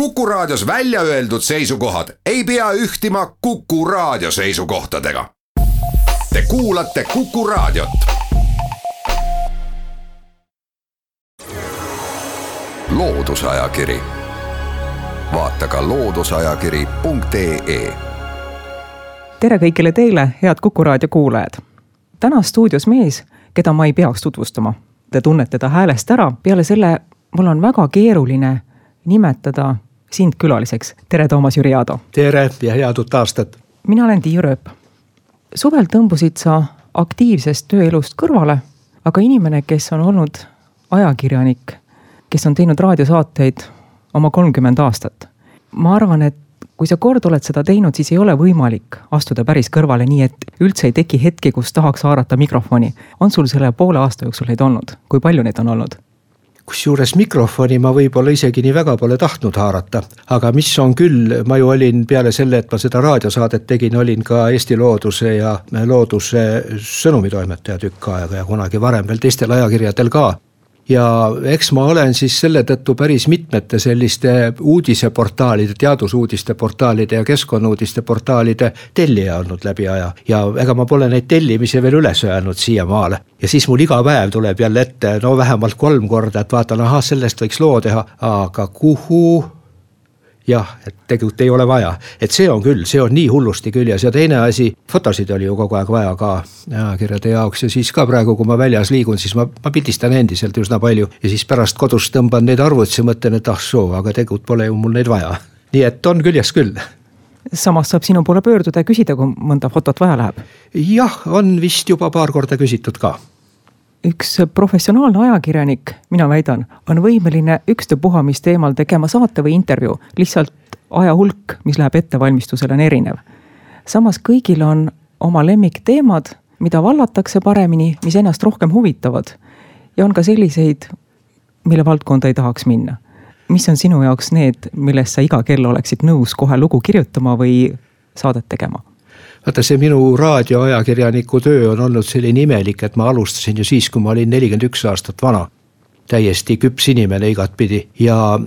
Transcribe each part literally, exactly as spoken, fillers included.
Kuku Raadios välja öeldud seisukohad ei pea ühtima Kuku Raadio seisukohtadega. Te kuulate Kuku Raadiot. Loodusajakiri. Vaata ka loodusajakiri punkt ee. Tere kõigile teile, head Kuku Raadio kuulajad. Täna stuudios mees, keda ma ei peaks tutvustama. Te tunnete ta häälest ära. Peale selle mul on väga keeruline nimetada sind külaliseks. Tere, Toomas Jüriado. Tere ja head uut aastat. Mina olen Tiiu Rööp. Suvel tõmbusid sa aktiivsest tööelust kõrvale, aga inimene, kes on olnud ajakirjanik, kes on teinud raadiosaateid oma kolmkümmend aastat. Ma arvan, et kui sa kord oled seda teinud, siis ei ole võimalik astuda päris kõrvale nii, et üldse ei teki hetki, kus tahaks haarata mikrofoni. On sul selle poole aasta jooksul neid olnud? Kui palju neid on olnud? Kusjuures mikrofoni ma võib-olla isegi nii väga pole tahtnud haarata, aga mis on küll, ma ju olin peale selle, et ma seda raadiosaadet tegin, olin ka Eesti Looduse ja Looduse sõnumitoimetaja tükk aega ja kunagi varem veel teistel ajakirjadel ka. Ja eks ma olen siis selle tõttu päris mitmete selliste uudiseportaalide, teadusuudiste portaalide ja keskkonnuudiste portaalide tellija olnud läbi aja. Ja ega ma pole neid tellimisi veel üles öelnud siia maale. Ja siis mul iga päev tuleb jälle ette, no vähemalt kolm korda, et vaatan, aha, sellest võiks loo teha, aga kuhu? Jah, et tegelikult ei ole vaja. Et see on küll, see on nii hullusti küljes. Ja teine asi, fotosid oli ju kogu aeg vaja ka ajakirjade jaoks. Ja siis ka praegu, kui ma väljas liigun, siis ma, ma pildistan endiselt üsna palju. Ja siis pärast kodus tõmban neid arvutsi ja mõtlen, et ah soo, aga tegelikult pole ju mul neid vaja. Nii et on küljes küll. Samas saab sinu poole pöörduda ja küsida, kui mõnda fotot vaja läheb. Jah, on vist juba paar korda küsitud ka. Üks professionaalne ajakirjanik, mina väidan, on võimeline ükstapuha mis teemal tegema saate või intervjuu. Lihtsalt aja hulk, mis läheb ettevalmistusele, on erinev. Samas kõigil on oma lemmikteemad, mida vallatakse paremini, mis ennast rohkem huvitavad. Ja on ka selliseid, mille valdkonda ei tahaks minna. Mis on sinu jaoks need, millest sa iga kell oleksid nõus kohe lugu kirjutama või saadet tegema? Vaata, see minu raadioajakirjaniku töö on olnud selline imelik, et ma alustasin ju siis, kui ma olin nelikümmend üks aastat vana. Täiesti küps inimene igat pidi. Ja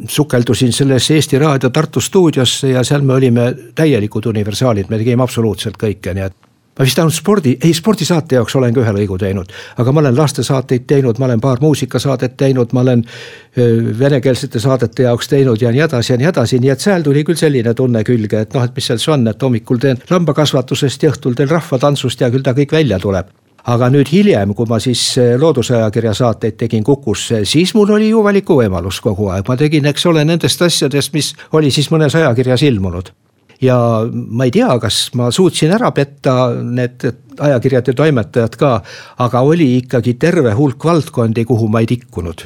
sukeldusin selles Eesti Raadio Tartu stuudiosse ja seal me olime täielikud universaalid. Me tegime absoluutselt kõike, nii et ma vist ainult spordi, ei spordisaate jaoks olen ka ühe lõigu teinud, aga ma olen lastesaateid teinud, ma olen paar muusikasaadet teinud, ma olen venekeelsete saadete jaoks teinud ja nii edasi ja nii edasi, nii et seal tuli küll selline tunne külge, et noh, et mis seal on, et hommikul teen lambakasvatusest ja õhtul teen rahvatantsust ja küll ta kõik välja tuleb. Aga nüüd hiljem, kui ma siis loodusajakirja saateid tegin Kukusse, siis mul oli ju valiku võimalus kogu aeg. Ma tegin, eks ole, nendest asjadest, mis oli siis mõnes ajakirjas ilmunud. Ja ma ei tea, kas ma suutsin ära petta need ajakirjade toimetajad ka, aga oli ikkagi terve hulk valdkondi, kuhu ma ei tikkunud.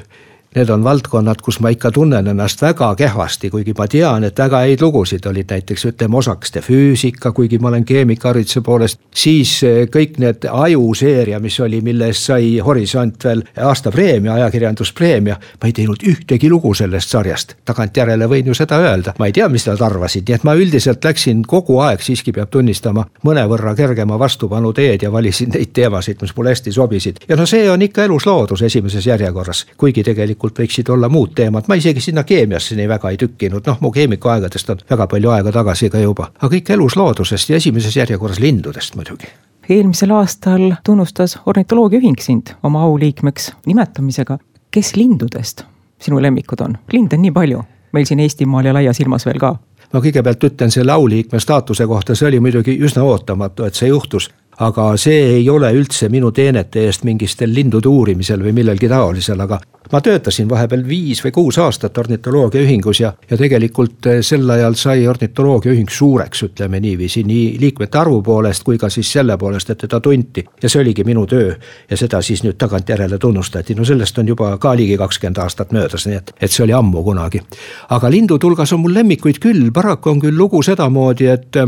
Need on valdkonnad, kus ma ikka tunnen ennast väga kehvasti, kuigi ma tean, et väga häid lugusid olid näiteks, ütleme, osakeste füüsika, kuigi ma olen keemikahariduse poolest, siis kõik need ajuseeria, mis oli, milles sai Horisont veel aastapreemia, ajakirjanduspreemia, ma ei teinud ühtegi lugu sellest sarjast. Tagantjärele võin ju seda öelda. Ma ei tea, mis nad arvasid, nii et ma üldiselt läksin kogu aeg, siiski peab tunnistama, mõnevõrra kergema vastupanu teed ja valisin neid teemasid, mis mulle hästi sobisid. Ja no see on ikka elus loodus esimeses järjekorras, kuigi tegelikult võiksid olla muud teemad. Ma isegi sinna keemiasse nii väga ei tükkinud. Noh, mu keemikuaegadest on väga palju aega tagasi ka juba. Aga kõik elus loodusest ja esimeses järjekorras lindudest muidugi. Eelmisel aastal tunnustas ornitoloogia ühing sind oma auliikmeks nimetamisega. Kes lindudest sinu lemmikud on? Lind on nii palju. Meil siin Eestimaal ja laias ilmas veel ka. Ma kõigepealt ütlen selle auliikme staatuse kohta. See oli muidugi üsna ootamatu, et see juhtus. Aga see ei ole üldse minu teenete eest mingistel lindude uurimisel või millelgi taolisel, aga ma töötasin vahepeal viis või kuus aastat ornitoloogia ühingus ja, ja tegelikult sel ajal sai ornitoloogia ühing suureks, ütleme niiviisi, nii liikmete arvu poolest kui ka siis selle poolest, et teda tunti. Ja see oligi minu töö ja seda siis nüüd tagantjärele tunnustati. No sellest on juba ka ligi kakskümmend aastat möödas, nii et, et see oli ammu kunagi. Aga lindude hulgas on mul lemmikuid küll, paraku on küll lugu sedamoodi, et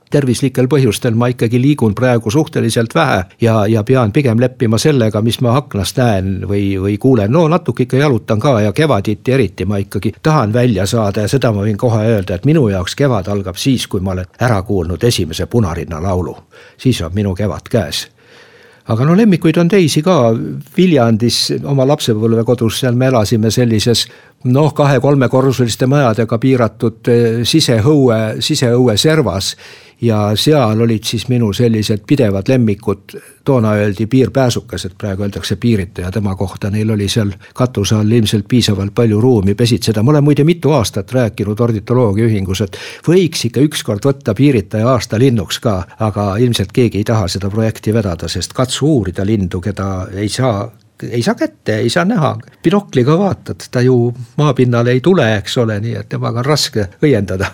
tervislikel põhjustel ma ikkagi liigun praegu suhteliselt vähe ja, ja pean pigem leppima sellega, mis ma aknast näen või, või kuulen. No natuke ikka jalutan ka ja kevaditi eriti ma ikkagi tahan välja saada ja seda ma võin kohe öelda, et minu jaoks kevad algab siis, kui ma olen ära kuulnud esimese Punarinna laulu. Siis on minu kevad käes. Aga no lemmikuid on teisi ka. Viljandis oma lapsepõlve kodus, seal me elasime sellises noh, kahe-kolmekorruseliste majadega piiratud siseõue, siseõue servas ja seal olid siis minu sellised pidevad lemmikud, toona öeldi piirpääsukesed, praegu öeldakse piiritaja tema kohta, neil oli seal katuse all ilmselt piisavalt palju ruumi pesitseda. Ma olen muide mitu aastat rääkinud ornitoloogia ühingus, et võiks ikka ükskord võtta piiritaja aasta linnuks ka, aga ilmselt keegi ei taha seda projekti vedada, sest katsu uurida lindu, keda ei saa ei saa kätte, ei saa näha, binokliga vaatad, ta ju maapinnale ei tule, eks ole, nii et temaga on raske õiendada.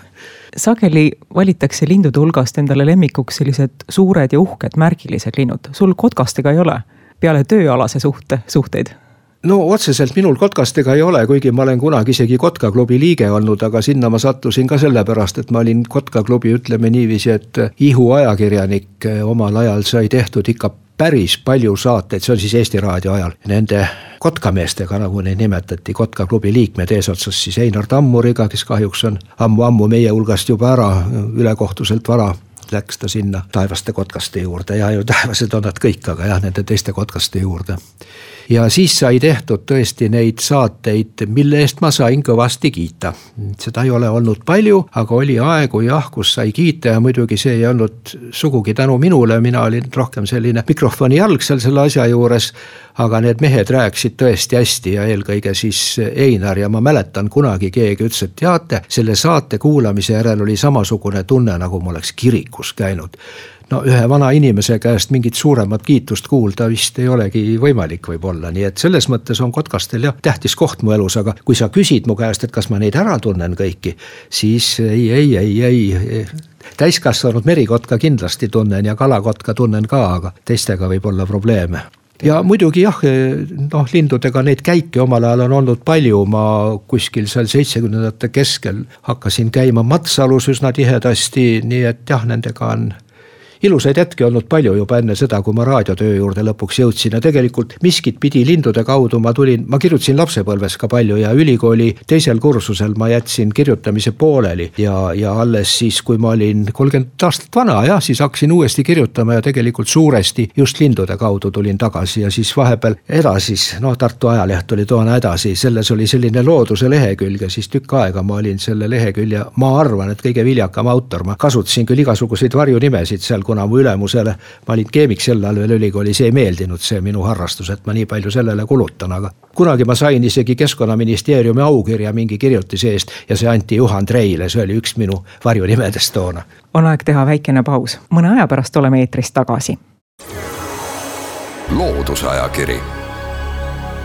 Sageli valitakse lindude hulgast endale lemmikuks sellised suured ja uhked märgilised linnud. Sul kotkastega ei ole peale tööalase suhte, suhteid? No otseselt minul kotkastega ei ole, kuigi ma olen kunagi isegi Kotkaklubi liige olnud, aga sinna ma sattusin ka sellepärast, et ma olin Kotkaklubi, ütleme niiviisi, et Ihu ajakirjanik omal ajal sai tehtud ikka päris palju saateid, see on siis Eesti Raadio ajal, nende kotkameestega, nagu neid nimetati, Kotkaklubi liikmed eesotsas siis Einar Tammuriga, kes kahjuks on ammu-ammu meie hulgast juba ära, ülekohtuselt vara läks ta sinna taevaste kotkaste juurde ja ju taevased on nad kõik, aga jah, nende teiste kotkaste juurde. Ja siis sai tehtud tõesti neid saateid, mille eest ma sain kõvasti kiita. Seda ei ole olnud palju, aga oli aegu jah, kus sai kiita ja muidugi see ei olnud sugugi tänu minule, mina olin rohkem selline mikrofoni jalg seal selle asja juures, aga need mehed rääkisid tõesti hästi ja eelkõige siis Einar ja ma mäletan kunagi keegi ütles, et teate, selle saate kuulamise järel oli samasugune tunne, nagu ma oleks kirikus käinud. No ühe vana inimese käest mingit suuremat kiitust kuulda vist ei olegi võimalik võib-olla, nii et selles mõttes on kotkastel jah tähtis koht mu elus, aga kui sa küsid mu käest, et kas ma neid ära tunnen kõiki, siis ei, ei, ei, ei, täiskasvanud merikotka kindlasti tunnen ja kalakotka tunnen ka, aga teistega võib olla probleeme. Ja muidugi jah, noh, lindudega neid käike omal ajal on olnud palju, ma kuskil seal seitsmekümnendate keskel hakkasin käima Matsalus üsna tihedasti, nii et jah, nendega on ilusaid hetki olnud palju juba enne seda, kui ma raadiotöö juurde lõpuks jõudsin ja tegelikult miskit pidi lindude kaudu ma tulin, ma kirjutasin lapsepõlves ka palju ja ülikooli teisel kursusel ma jätsin kirjutamise pooleli ja, ja alles siis, kui ma olin kolmkümmend aastat vana, jah, siis hakkasin uuesti kirjutama ja tegelikult suuresti just lindude kaudu tulin tagasi ja siis vahepeal edasi, no Tartu Ajaleht oli toona edasi, selles oli selline looduse lehekülg ja siis tükk aega ma olin selle lehekülje, ma arvan, et kõige viljakam autor, ma kasutasin küll igasuguseid varjunimesid seal, kuna mu ülemusele, ma olin keemik sel ajal veel ülikoolis, ei meeldinud see minu harrastus, et ma nii palju sellele kulutan, aga kunagi ma sain isegi Keskkonnaministeeriumi aukirja mingi kirjutise eest ja see anti Juhan Treile, see oli üks minu varjunimedest toona. On aeg teha väikene paus, mõne aja pärast oleme eetrist tagasi. Loodusajakiri.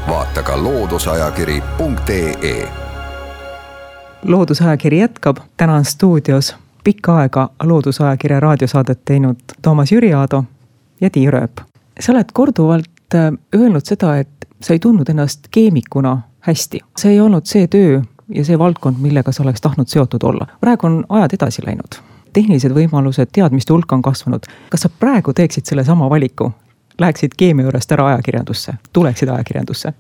Vaata ka loodusajakiri punkt ee. Loodusajakiri jätkab, täna on stuudios pikka aega loodusajakirja raadiosaadet teinud Toomas Jüriaado ja Tiia Rööp. Sa oled korduvalt öelnud seda, et sa ei tundnud ennast keemikuna hästi. See ei olnud see töö ja see valdkond, millega sa oleks tahtnud seotud olla. Praegu on ajad edasi läinud. Tehnilised võimalused, teadmiste hulk on kasvanud. Kas sa praegu teeksid selle sama valiku? Läheksid keemia juurest ära ajakirjandusse? Tuleksid ajakirjandusse?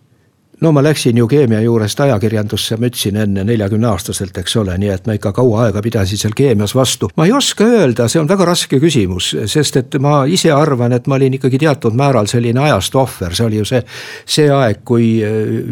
No ma läksin ju keemia juurest ajakirjandusse, ma ütlesin enne neljakümne aastaselt, eks ole, nii et ma ikka kaua aega pidasin seal keemias vastu. Ma ei oska öelda, see on väga raske küsimus, sest et ma ise arvan, et ma olin ikkagi teatud määral selline ajast ohver. See oli ju see, see aeg, kui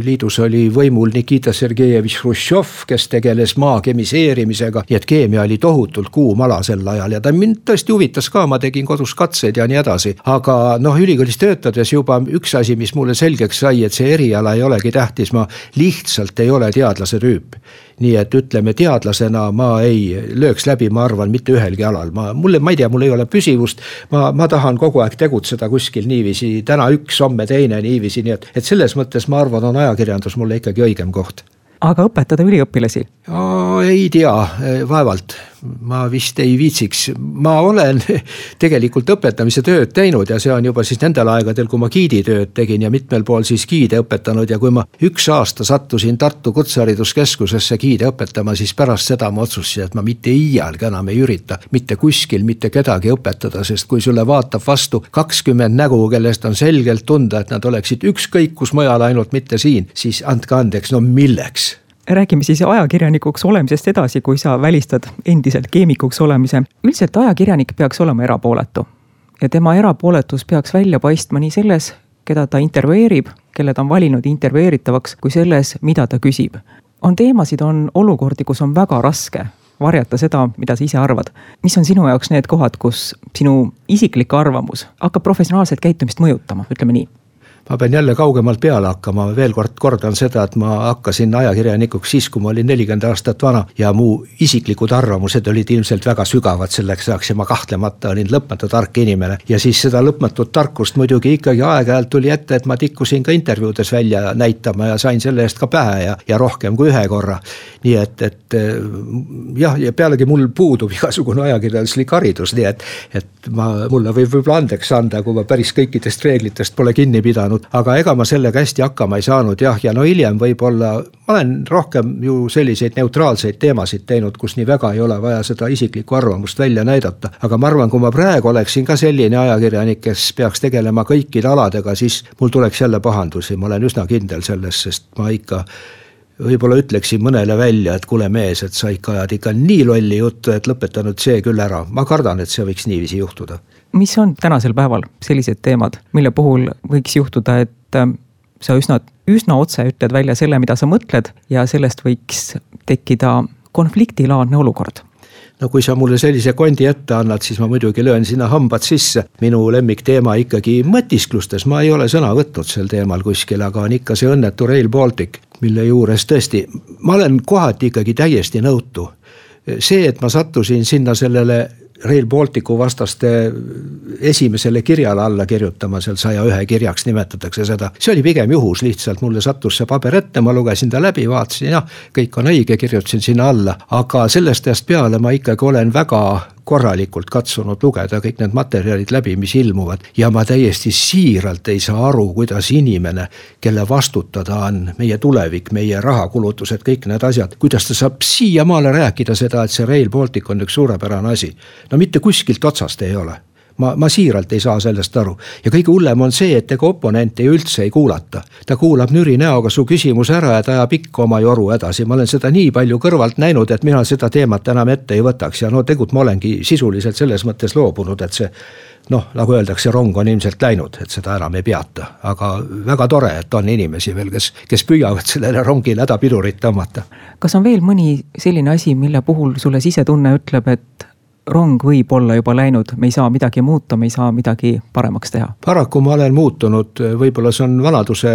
liidus oli võimul Nikita Sergejevich Hruštšov, kes tegeles maa kemiseerimisega, nii et keemia oli tohutult kuum ala sel ajal ja ta mind tõesti huvitas ka, ma tegin kodus katseid ja nii edasi. Aga noh, ülikoolis töötades juba üks asi, mis mulle selgeks sai, et see eriala ei ole tähtis, ma lihtsalt ei ole teadlase tüüp. Nii et ütleme, teadlasena ma ei lööks läbi, ma arvan, mitte ühelgi alal. Ma, mulle, ma ei tea, mul ei ole püsivust, ma, ma tahan kogu aeg tegutseda kuskil niiviisi, täna üks, homme teine niiviisi, nii et, et selles mõttes ma arvan, on ajakirjandus mulle ikkagi õigem koht. Aga õpetada üliõpilasi? O, ei tea, vaevalt. Ma vist ei viitsiks. Ma olen tegelikult õpetamise tööd teinud ja see on juba siis nendel aegadel, kui ma giiditööd tegin ja mitmel pool siis giide õpetanud ja kui ma üks aasta sattusin Tartu Kutsehariduskeskusesse giide õpetama, siis pärast seda ma otsustasin, et ma mitte iialgi enam ei ürita mitte kuskil mitte kedagi õpetada, sest kui sulle vaatab vastu kakskümmend nägu, kellest on selgelt tunda, et nad oleksid ükskõik kus mujal, ainult mitte siin, siis andke andeks, no milleks? Räägime siis ajakirjanikuks olemisest edasi, kui sa välistad endiselt keemikuks olemise. Üldiselt ajakirjanik peaks olema erapooletu ja tema erapooletus peaks välja paistma nii selles, keda ta intervjueerib, kelle ta on valinud intervjueeritavaks, kui selles, mida ta küsib. on teemasid, on olukordi, kus on väga raske varjata seda, mida sa ise arvad. Mis on sinu jaoks need kohad, kus sinu isiklik arvamus hakkab professionaalset käitumist mõjutama, ütleme nii? Ma pean jälle kaugemalt peale hakkama, veel kord kordan seda, et ma hakkasin ajakirjanikuks siis, kui ma olin nelikümmend aastat vana ja mu isiklikud arvamused olid ilmselt väga sügavad selleks ajaks ja ma kahtlemata olin lõpmatu tark inimene. Ja siis seda lõpmatut tarkust muidugi ikkagi aeg-ajalt tuli ette, et ma tikkusin ka intervjuudes välja näitama ja sain selle eest ka pähe ja, ja rohkem kui ühe korra. Nii et, et jah, ja pealegi mul puudub igasugune ajakirjanduslik haridus, nii et, et ma, mulle võib võib andeks anda, kui ma päris kõikidest reeglitest pole kinni pidanud. Aga ega ma sellega hästi hakkama ei saanud, jah, ja no hiljem võib-olla, ma olen rohkem ju selliseid neutraalseid teemasid teinud, kus nii väga ei ole vaja seda isiklikku arvamust välja näidata. Aga ma arvan, kui ma praegu oleksin ka selline ajakirjanik, kes peaks tegelema kõikide aladega, siis mul tuleks jälle pahandusi, ma olen üsna kindel selles, sest ma ikka võib-olla ütleksin mõnele välja, et kuule mees, et sa ikka ajad ikka nii lolli juttu, et lõpetanud see küll ära. Ma kardan, et see võiks niiviisi juhtuda. Mis on tänasel päeval sellised teemad, mille puhul võiks juhtuda, et sa üsna, üsna otse ütled välja selle, mida sa mõtled ja sellest võiks tekkida konfliktilaadne olukord? No kui sa mulle sellise kondi ette annad, siis ma muidugi löön sinna hambad sisse. Minu lemmik teema ikkagi mõtisklustes, ma ei ole sõna võtnud sel teemal kuskil, aga on ikka see õnnetu Rail Baltic, mille juures tõesti, ma olen kohati ikkagi täiesti nõutu. See, et ma sattusin sinna sellele Rail Balticu vastaste esimesele kirjale alla kirjutama, seal saja ühe kirjaks nimetatakse seda. See oli pigem juhus, lihtsalt mulle sattus see paber ette, ma lugesin ta läbi, vaatasin, jah, kõik on õige, kirjutasin sinna alla. Aga sellest ajast peale ma ikkagi olen väga korralikult katsunud lugeda kõik need materjalid läbi, mis ilmuvad. Ja ma täiesti siiralt ei saa aru, kuidas inimene, kelle vastutada on meie tulevik, meie rahakulutused, kõik need asjad, kuidas ta saab siiamaale rääkida seda, et see Rail Baltic on üks suurepärane asi. No mitte kuskilt otsast ei ole. Ma, ma siiralt ei saa sellest aru. Ja kõige hullem on see, et ega oponenti üldse ei kuulata. Ta kuulab nüri näoga su küsimus ära ja ta ajab ikka oma joru edasi. Ma olen seda nii palju kõrvalt näinud, et mina seda teemat enam ette ei võtaks. Ja no tegut ma olengi sisuliselt selles mõttes loobunud, et see, noh, nagu öeldakse, rong on ilmselt läinud, et seda enam ei peata. Aga väga tore, et on inimesi veel, kes, kes püüavad sellele rongile hädapidurit tõmmata. Kas on veel mõni selline asi, mille puhul sulle sisetunne ütleb, et rong võib olla juba läinud, me ei saa midagi muuta, me ei saa midagi paremaks teha? Paraku ma olen muutunud, võib-olla see on vanaduse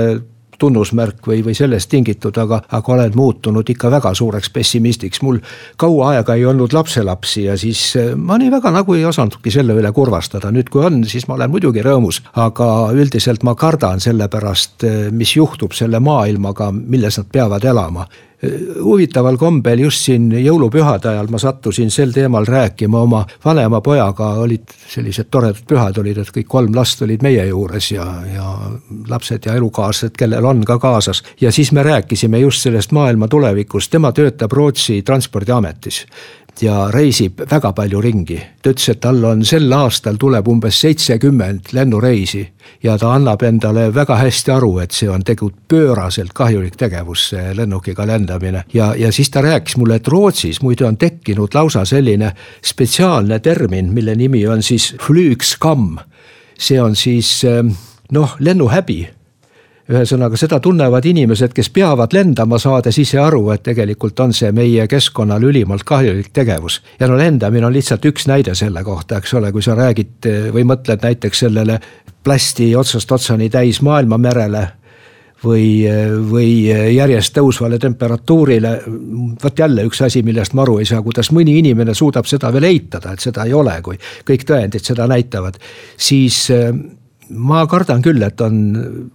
tunnusmärk või, või sellest tingitud, aga, aga olen muutunud ikka väga suureks pessimistiks. Mul kaua aega ei olnud lapselapsi ja siis ma nii väga nagu ei osandudki selle üle kurvastada. Nüüd kui on, siis ma olen muidugi rõõmus, aga üldiselt ma kardan selle pärast, mis juhtub selle maailmaga, milles nad peavad elama. Huvitaval kombel just siin jõulupühade ajal ma sattusin sel teemal rääkima oma vanema pojaga, olid sellised toredad pühad olid, et kõik kolm last olid meie juures ja, ja lapsed ja elukaaslased, kellel on ka kaasas. Ja siis me rääkisime just sellest maailma tulevikust, tema töötab Rootsi transpordiametis ja reisib väga palju ringi. Ta ütles, et tal on sel aastal tuleb umbes seitsekümmend lennureisi ja ta annab endale väga hästi aru, et see on tegelikult pööraselt kahjulik tegevus, see lennukiga lendamine. Ja, ja siis ta rääkis mulle, et Rootsis muide on tekkinud lausa selline spetsiaalne termin, mille nimi on siis flygskam. See on siis, noh, lennuhäbi. Ühesõnaga, seda tunnevad inimesed, kes peavad lendama saades ise aru, et tegelikult on see meie keskkonnal ülimalt kahjulik tegevus. Ja no lendamine on lihtsalt üks näide selle kohta, eks ole, kui sa räägid või mõtled näiteks sellele plasti otsast otsani täis maailma merele või, või järjest tõusvale temperatuurile. Võt jälle üks asi, millest ma aru ei saa, kuidas mõni inimene suudab seda veel eitada, et seda ei ole, kui kõik tõendid seda näitavad. Siis ma kardan küll, et on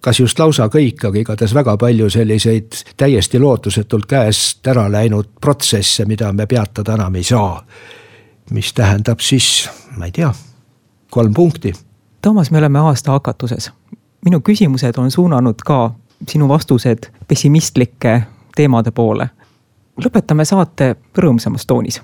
kas just lausa kõik, aga igatahes väga palju selliseid täiesti lootusetult käest ära läinud protsesse, mida me peatada enam ei saa. Mis tähendab siis, ma ei tea, kolm punkti. Toomas, me oleme aasta hakatuses. Minu küsimused on suunanud ka sinu vastused pessimistlike teemade poole. Lõpetame saate rõõmsamas toonis.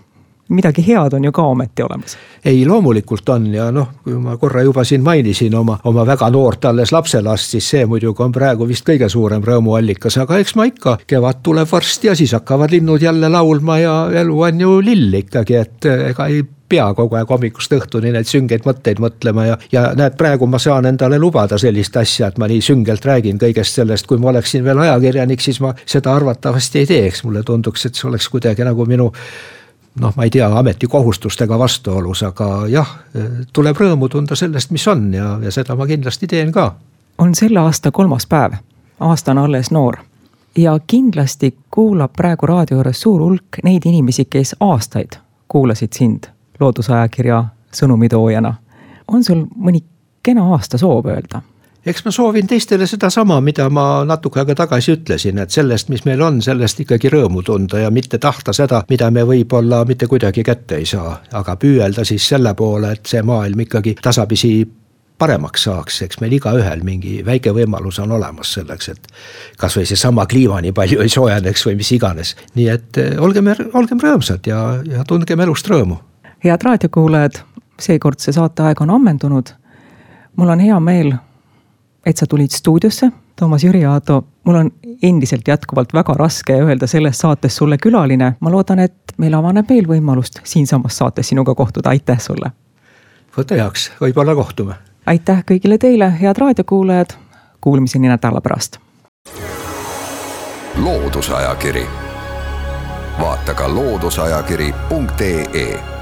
Midagi head on ju ka ometi olemas. Ei, loomulikult on ja noh, kui ma korra juba siin mainisin oma, oma väga noort alles lapselast, siis see muidugi on praegu vist kõige suurem rõõmuallikas, aga eks ma ikka kevad tuleb varsti ja siis hakkavad linnud jälle laulma ja elu on ju lill ikkagi, et ega ei pea kogu aeg hommikust õhtuni neid süngeid mõtteid mõtlema ja, ja näed, praegu ma saan endale lubada sellist asja, et ma nii süngelt räägin kõigest sellest, kui ma oleksin veel ajakirjanik, siis ma seda arvatavasti ei teeks, mulle tunduks, et see oleks kuidagi nagu minu noh, ma ei tea, ametikohustustega vastuolus, aga jah, tuleb rõõmu tunda sellest, mis on ja, ja seda ma kindlasti teen ka. On selle aasta kolmas päev, aasta on alles noor ja kindlasti kuulab praegu raadio juures suur hulk neid inimesi, kes aastaid kuulasid sind loodusajakirja sõnumitoojana. On sul mõni kena aasta soov öelda? Eks ma soovin teistele seda sama, mida ma natuke aega tagasi ütlesin, et sellest, mis meil on, sellest ikkagi rõõmu tunda ja mitte tahta seda, mida me võib-olla mitte kuidagi kätte ei saa, aga püüelda siis selle poole, et see maailm ikkagi tasapisi paremaks saaks, eks meil iga ühel mingi väike võimalus on olemas selleks, et kas või see sama kliima nii palju ei soojeneks või mis iganes. Nii et olgem, olgem rõõmsad ja, ja tundgem elust rõõmu. Head raadiokuulajad, seekord see saateaeg on ammendunud. Mul on hea meel, et sa tulid stuudiosse, Toomas Jüri Aato. Mul on endiselt jätkuvalt väga raske öelda selles saates sulle külaline. Ma loodan, et meil avaneb veel võimalust siin samas saates sinuga kohtuda. Aitäh sulle! Võta heaks, võib-olla kohtume. Aitäh kõigile teile, head raadiokuulajad. Kuulmiseni nädala pärast. Loodusajakiri. Vaata ka looduseajakiri punkt ee